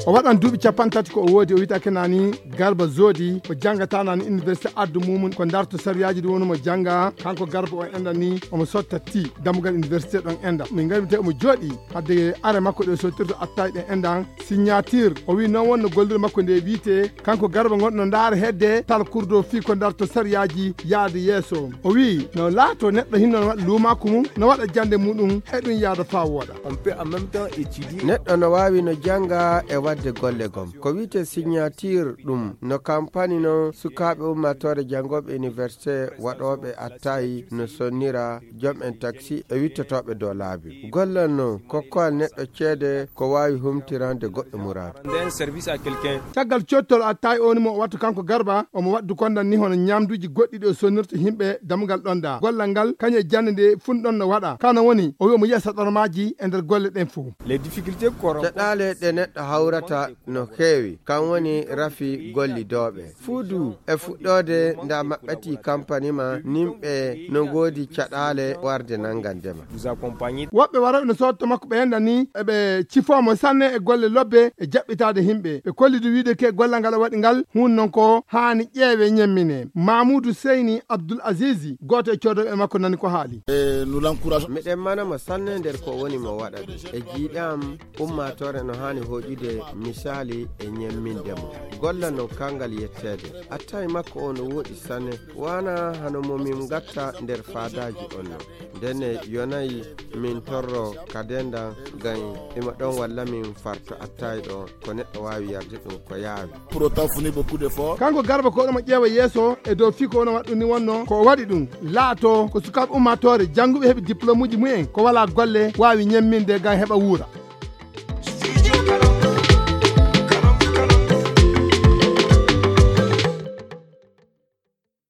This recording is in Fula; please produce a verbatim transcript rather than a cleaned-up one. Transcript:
O waɗan duuɓi capanɗe tati ko o woodi, o wiyata ke nani Garba Zodi, o janngata nani université addu mumum, ko ndarto sariyaaji ɗi woni mo jannga. Kanko Garba o enɗan ni omo sotta ti dammugal université ɗon enɗan. Min ngari te omo jooɗi hadde are makko ɗe sottirta attaay ɗen enɗan signature. O wi noon wonno gollirde makko nde wiite, kanko Garba ngonɗo ndaara hedde tal kurdo fii ko ndarto sariyaaji yaade yeeso. O wi no laato neɗɗo hinno no waɗa luumaaku mum, no waɗa jannde muɗum, e ɗum yaada faa wooɗa. On peut en même temps étudier. Neɗɗo no waawi no jannga e waɗde golle gom. Ko wiyte signature ɗum, no kampani noon sukaaɓe ummaatoore janngooɓe université waɗooɓe attaay no sonnira jom en taxi e wittotooɓe dow laabi. Gollal noon, kokkowal neɗɗo ceede ko waawi humtirande goɗɗo muraadu. Rendre un service à quelqu'un. Caggal cottol attaay o ni mo o wattu kanko Garba, omo waɗdu kondan ni hono ñamduuji goɗɗi ɗi o sonnirta yimɓe dammugal ɗon da. Gollal ngal, kañum e jannde nde fun ɗon no waɗa. Kano woni, o wi omo yiya saɗormaaji e nder golle ɗen fof. Les difficultés corrompent. Caɗaale ɗe neɗɗo hawrata no heewi, kan woni rafi gollidooɓe. Fuu du e fuɗɗoode nda maɓɓati kampani ma, nimɓe no ngoodi caɗaale warde nanngandema. Vous accompagner. Woɓɓe waroɓe no sootta makko ɓe enɗan ni, eɓe cifoo mo sanne e golle lobbe e jaɓɓitaade yimɓe. Ɓe kolli du wiide ke gollal ngal o waɗi ngal, hun non ko haani ƴeewe ñemmine. Mamoudou Seyni Abdoul Azizi, gooto e coodooɓe makko nani ko haali. Et nous l'encourageons. Miɗen mana mo sanne nder ko woni mo waɗa ɗum. E jiiɗe am, ummaatoore no haani hoƴude misaali e ñemminde mo. Golla no kangal yetteede. Attaay makko o no woɗi sanne. Wana hano mo min gatta nder faadaaji on no. Ndenne yonayi min torro ka dendan gay ima ɗon walla min farto attaay ɗo ko neɗɗo waawi yarde ɗum ko yaawi. Pour autant fournir beaucoup d'efforts. Kanko Garba ko ɗum o ƴeewa yeeso e dow fii ko wona waɗɗum ni wonno ko o waɗi ɗum. Laato ko sukaaɓe ummaatoore jannguɓe heɓi diplôme uji mumen ko walaa golle waawi ñemminde gam heɓa wuura.